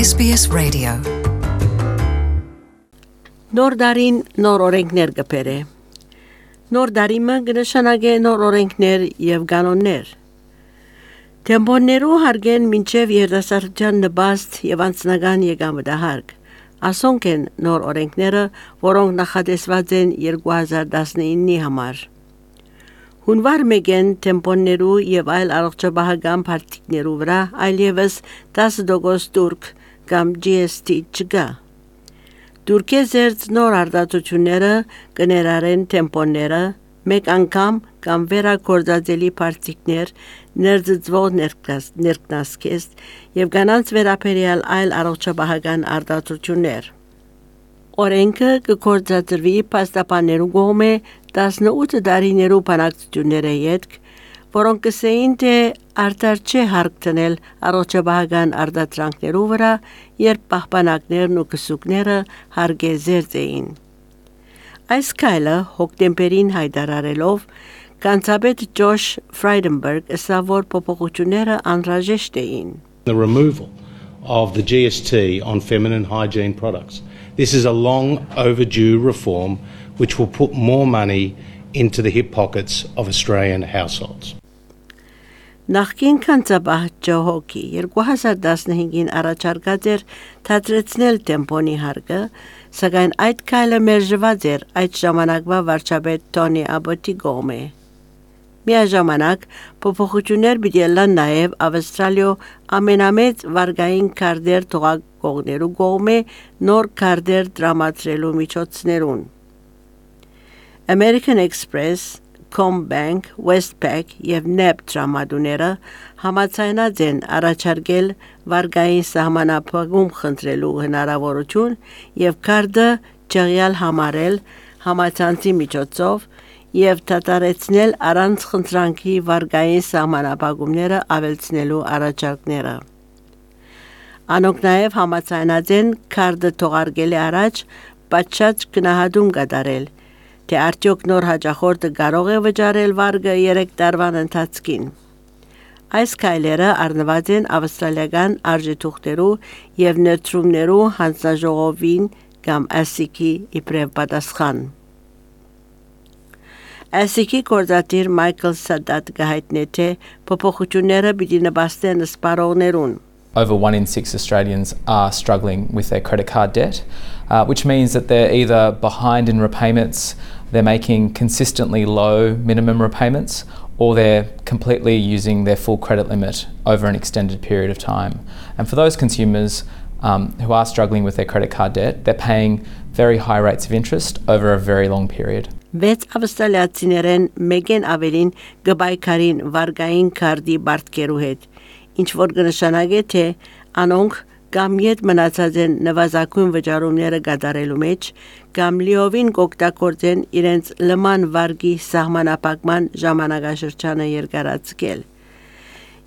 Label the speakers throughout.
Speaker 1: SBS Radio.
Speaker 2: Նոր դարին նոր օրենքներ կբերե։ Նոր դարիմը կնշանակե նոր օրենքներ եւ կանոններ։ Տեմպոններու հարգեն մինչև երիտասարդության նպաստ եւ անձնական եկամտահարկ։ Ասոնք են նոր օրենքները, որոնք նախատեսված են 2019-ի համար։ Հունվար մեկեն տեմպոններու եւ այլ առողջապահական պարտիկներու վրա այլևս 10% դուրք կամ GST չկա։ Դուրքե զերծ նոր արտադրությունները կներառեն տեմպոնները, մեկ անգամ կամ վերագործածելի պարտիկներ, ներծծվող ներկնասկեստ եւ կանանց վերաբերյալ այլ առողջապահական արտադրություններ։ Օրենքը կգործադրվի փաստաբաններու կողմէ 18 տարիներու բանակցությունները յետք, որոնք կսեին թե արդար չէ հարկ տնել առողջապահական արտադրանքներու վրա, երբ պահպանակներն ու կսուկները հարգեզերծ էին։ Այս քայլը հոկտեմբերին հայտարարելով կանցապետ Ջոշ Ֆրայդենբերգ ասավ, որ փոփոխությունները անհրաժեշտ էին։
Speaker 3: The removal of the GST on feminine hygiene products. This is a long overdue reform which will put more money into the hip pockets of Australian households.
Speaker 2: Նախկին կանցապահ Ջոհոկի 2015-ին առաջարկած էր թատրեցնել տեմպոնի հարգը, սակայն այդ քայլը մերժված էր այդ ժամանակվա վարչապետ Թոնի Աբոտի կողմէ։ Միաժամանակ փոփոխություններ պիտի ելան նաև Ավստրալիո ամենամեծ վարգային քարտեր թողարկողներու կողմէ նոր քարտեր տրամադրելու միջոցներուն։ American Express, Combank, Westpac եւ NAB տրամադրողները համաձայնած են առաջարկել վարգային սահմանափակում խնդրելու հնարավորություն եւ քարտը ճղյալ համարել համացանցի միջոցով եւ դադարեցնել առանց խնդրանքի վարգային սահմանափակումները ավելցնելու առաջարկները։ Անոնք նաեւ համաձայնած են քարտը թողարկելի առաջ պատշաճ գնահատում կատարել, թե արդյոք նոր հաճախորդը կարող է վճարել վարգը 3 տարվան ընթացքին։ Այս քայլերը առնված են ավստրալիական արժեթուղթերու եւ ներդրումներու հանձնաժողովին կամ ASIC-ի իբրև պատասխան։ ASIC-ի գործադիր Michael Sadat գահիտնե թե փոփոխությունները պիտի նպաստեն սպառողներուն։
Speaker 4: Over 1 in 6 Australians are struggling with their credit card debt, which means that they're either behind in repayments, they're making consistently low minimum repayments, or they're completely using their full credit limit over an extended period of time. And for those consumers who are struggling with their credit card debt, they're paying very high rates of interest over a very long period.
Speaker 2: Վեց ավստրալիացիներեն մեկեն ավելին գբայքարին վարգային քարտի բարտկերու հետ, ինչ որ կնշանակե թե անոնք կամ յետ մնացած են նվազագույն վճարումները կատարելու մեջ, կամ լիովին կօգտագործեն իրենց լման վարգի սահմանափակման ժամանակաշրջանը երկարացկել։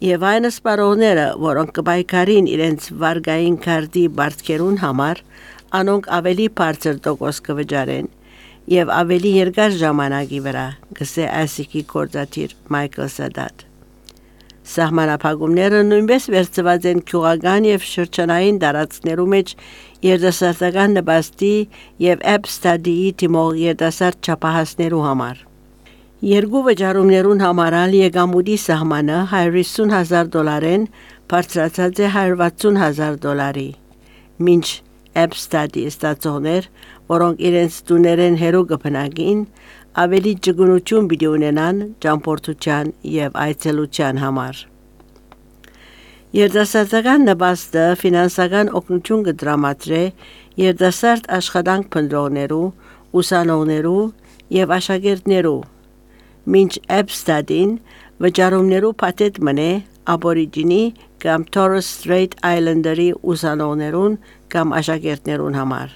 Speaker 2: Եվ այն սպառողները, որոնք կբայքարին իրենց վարգային քարտի բարտկերուն համար, անոնք ավելի բարձր տոկոս կվճարեն եւ ավելի երկար ժամանակի վրա, գսե ASIC-ի գործադիր Michael Sadat։ Սահմանափակումները նույնպես վերցված են քյուղական եւ շրջանային տարածքներու մեջ երիտասարդական նպաստի եւ App Study-ի թիմող երիտասարդ չափահասներու համար։ Երկու վճարումներուն համարալ եկամուտի սահմանը $150,000 բարձրացած է $160,000, մինչ App Study ստացողներ, որոնք իրենց տուներեն հերո կփնակին, ավելի ճգնություն պիտի ունենան ճամփորդության եւ այցելության համար։ Երիտասարդական նպաստը ֆինանսական օգնություն կդրամատրե երիտասարդ աշխատանք փնտրողներու, ուսանողներու եւ աշակերտներու, մինչ App Study-ն վճարումներու փաթեթ մնե Աբորիջինի կամ Torres Strait Islander-ի ուսանողներուն կամ աշակերտներուն համար։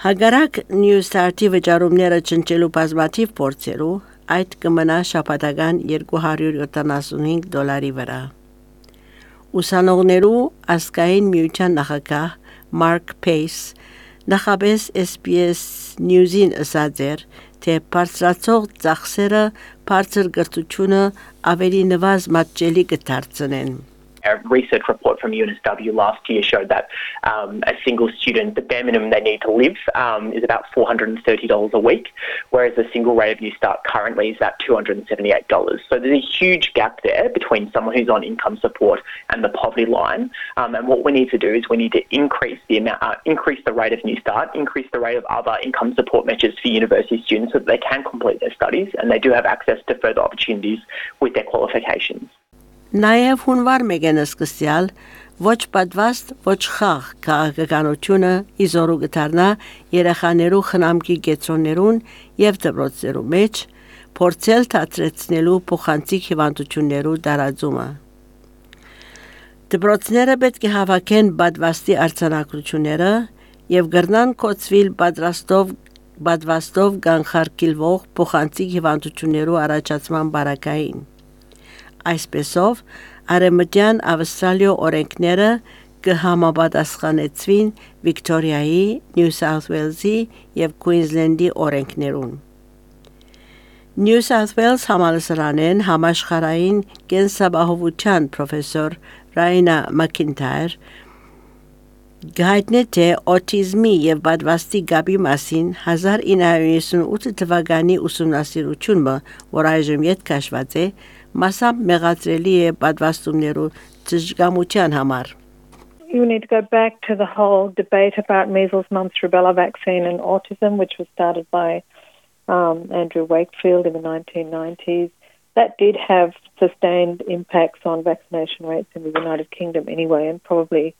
Speaker 2: Հագարակ New Start-ի վճարումները չնչելու բազմաթիվ փորձերու, այդ կմնա շաբաթական $275 վրա։ Ուսանողներու ազգային միության նախագահ Mark Pace նախապես SBS News-ին ասաց էր, թե բարձրացող ծախսերը բարձր կրթությունը ավելի նվազ մատչելի կդարձնեն։
Speaker 1: A research report from UNSW last year showed that a single student, the bare minimum they need to live is about $430 a week, whereas the single rate of New Start currently is at $278. So there's a huge gap there between someone who's on income support and the poverty line. And what we need to do is we need to increase the rate of New Start, increase the rate of other income support measures for university students so that they can complete their studies and they do have access to further opportunities with their qualifications.
Speaker 2: Նաև հունվար մեգենը սկսյալ ոչ պատվաստ ոչ խաղ քաղաքականությունը իզորու գտարնա երեխաներու խնամքի գեցոններուն եւ դպրոցներու մեջ փորձել դադրեցնելու փոխանցիկ հիվանդություններու տարածումը դպրոցները պետք է հավաքեն պատվաստի արձանագրությունները եւ գրնան կոչվել պատվաստով կանխարգելվող փոխանցիկ հիվանդություններու առաջացման բարակային Այսպեսով, արեմտյան Ավստրալիո օրենքները կհամապատասխանեցվին Վիկտորիայի, Նյու Սաութ Ուելզի և Քուինզլենդի օրենքներուն։ Նյու Սաութ Ուելս համալսարանեն համաշխարհային կենսաբանության պրոֆեսոր Ռայնա Մաքինթայր գայտնե թե օտիզմի և պատվաստի գաբի մասին 1998 թվականի ուսումնասիրությունը, որ այժմ ետ քաշված է, մասամբ մեղադրելի է պատվաստումներու ճշգամության համար։
Speaker 5: You need to go back to the whole debate about measles, mumps, rubella vaccine and autism, which was started by Andrew Wakefield in the 1990s. That did have sustained impacts on vaccination rates in the United Kingdom anyway, and probably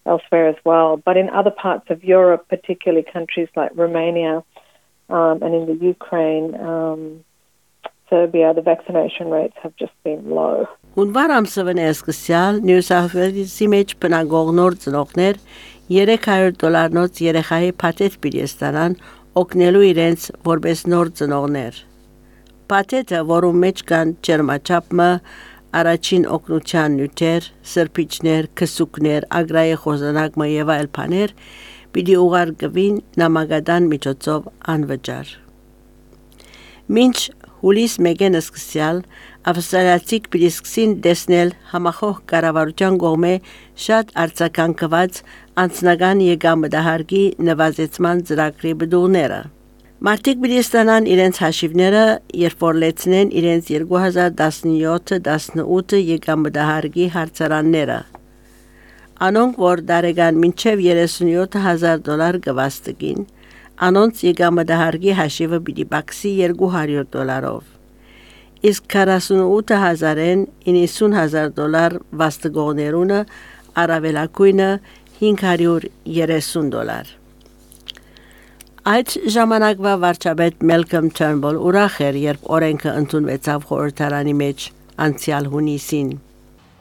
Speaker 5: elsewhere as well. But in other parts of Europe, particularly countries like Romania and in the Ukraine, Serbia, the vaccination rates have just been low.
Speaker 2: Հունվար ամսվան սկսյալ Նյու Սաութ Ուելսի մեջ բնակող նոր ծնողներ $300 երեխայի փաթեթ պիտի օգնելու իրենց որպես նոր ծնողներ։ Փաթեթը, որում մեջ կան ջերմաչափը, առաջին օգնության նյութեր, սրբիչներ, քսուկներ, ագրայի խոզանակը եւ այլ բաներ, պիտի ուղարկվին նամակադան միջոցով անվճար։ Մինչ հուլիս մեգեն սկսյալ ավստրալիացիք պիտի սկսին տեսնել համախոհ կառավարության կողմէ շատ արձագանքված անձնական եկամտահարկի նվազեցման ծրագրի բդուղները։ Մարդիկ պիտի ստանան իրենց հաշիվները, երբ որ լեցնեն իրենց 2017-18 եկամտահարկի հարցարանները։ Անոնք, որ դարեգան մինչև $37,000 կվաստկին, անոնց եկամտահարկի հաշիվը պիտի բացի $200-ով։ Իսկ 48,000-ն $90,000 վաստկողներունը առավելակույնը $530։ Այդ ժամանակվա վարչապետ Մելքոմ Թըրնբոլ ուրախ էր, երբ օրենքը ընդունվեցավ խորհրդարանի մեջ անցյալ հունիսին։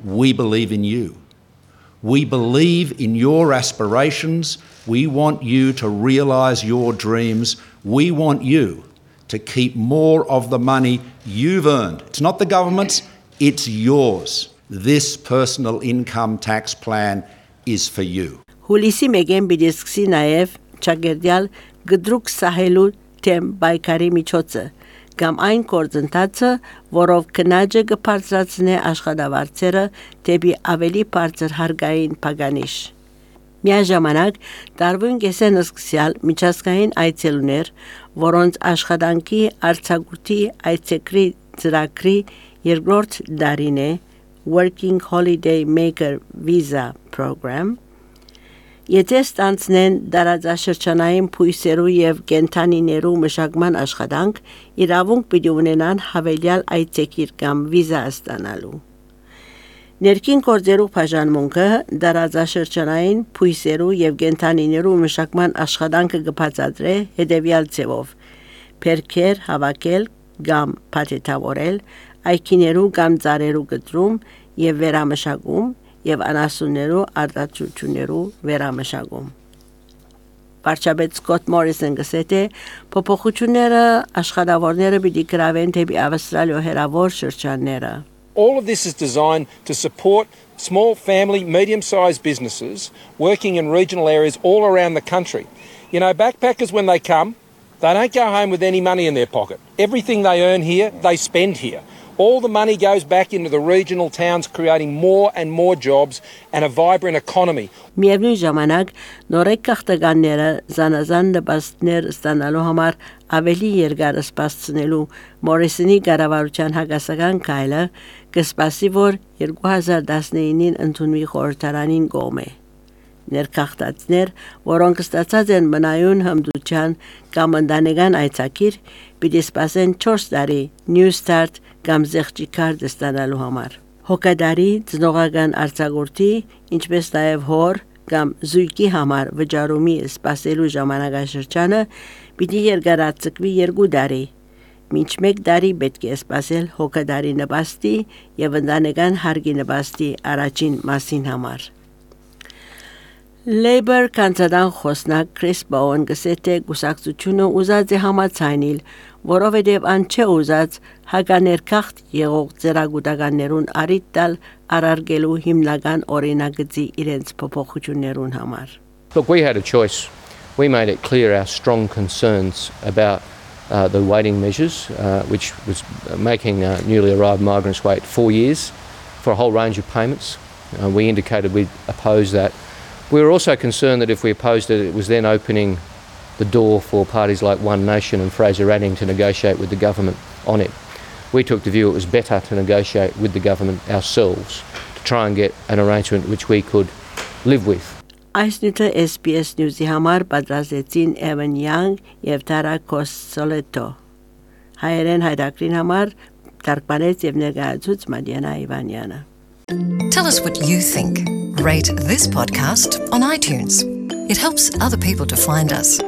Speaker 6: We believe in you. We believe in your aspirations. We want you to realize your dreams. We want you to keep more of the money you've earned. It's not the government's, it's yours. This personal income tax plan is for you.
Speaker 2: Հուլիսի մեգեն պիտի սկսի նաև ճագերդյալ գդրուկ սահելու թեմ բայկարի միջոցը, կամ այն գործընթացը, որով քննաջը կբարձրացնե աշխատավարձերը դեպի ավելի բարձր հարկային փականիշ։ Միաժամանակ տարվուն կեսեն սկսյալ միջազգային այցելուներ, որոնց աշխատանքի արձակուրդի այցեկրի ծրագրի երկրորդ դարին է Working Holiday Maker Visa Program, եթե ստանցնեն դարաձաշրջանային փույսերու եւ կենթանիներու մշակման աշխատանք, իրավունք պիտի ունենան հավելյալ այցեկիր կամ վիզա ստանալու։ Ներքին գործերու բաժանմունքը դարաձաշրջանային փույսերու եւ կենթանիներու մշակման աշխատանքը կբացատրե հետեւյալ ձևով. Փերքեր հավաքել կամ փաթեթավորել, այքիներու կամ ծառերու գտրում եւ վերամշակում եւ անասուններու արտադրություններու վերամշակում։ Վարչապետ Սկոտ Մորիսոն գսեթե փոփոխությունները աշխատավորները պիտի գրավեն դեպի Ավստրալիա հերավոր շրջանները։
Speaker 7: All of this is designed to support small family, medium-sized businesses working in regional areas all around the country. You know, backpackers, when they come, they don't go home with any money in their pocket. Everything they earn here, they spend here. All the money goes back into the regional towns, creating more and more jobs and a vibrant economy.
Speaker 2: Միևնույն ժամանակ նորեկ քաղաքականները զանազան նպաստներ ստանալու համար ավելի երկար սպասցնելու Մորիսոնի կառավարության հակասական քայլը կսպասի, որ 2019-ին ընդունվի խորհրդարանին կողմէ։ Ներքախտածներ, որոնք ստացած են մնայուն հմդության կամ ընտանեկան այցակիր, պիտի սպասեն 4 տարի New Start կամ զեղչի քարտ ստանալու համար։ Հոգադարի, ծնողական արձակուրդի, ինչպես նաև հոր կամ զույգի համար վճարումի սպասելու ժամանակաշրջանը պիտի երկարաձգվի 2 տարի։ Մինչ 1 տարի պետք է սպասել հոգադարի նպաստի եւ ընտանեկան հարգի նպաստի առաջին մասին համար։ Labour կանցադան խոսնակ Քրիս Բոուն գսեթե գուսակցությունը ուզած է համաձայնել, որովհետև ան չէ ուզած հականերքախտ եղող ծերագուտականներուն արիտ տալ արարգելու հիմնական օրինագծի իրենց փոփոխություններուն համար։
Speaker 8: Look, we had a choice. We made it clear our strong concerns about the waiting measures, which was making newly arrived migrants wait 4 years for a whole range of payments. We indicated we'd oppose that. We were also concerned that if we opposed it, it was then opening the door for parties like One Nation and Fraser Anning to negotiate with the government on it. We took the view it was better to negotiate with the government ourselves to try and get an arrangement which we could live with.
Speaker 2: Այս նյութը SBS News-ի համար պատրաստեցին Evan Young եւ Tara Cosoletto։ Հայերեն հայրակրին համար թարգմանեց եւ ներկայացուց Մադիանա Իվանյանը։
Speaker 9: Tell us what you think. Rate this podcast on iTunes. It helps other people to find us.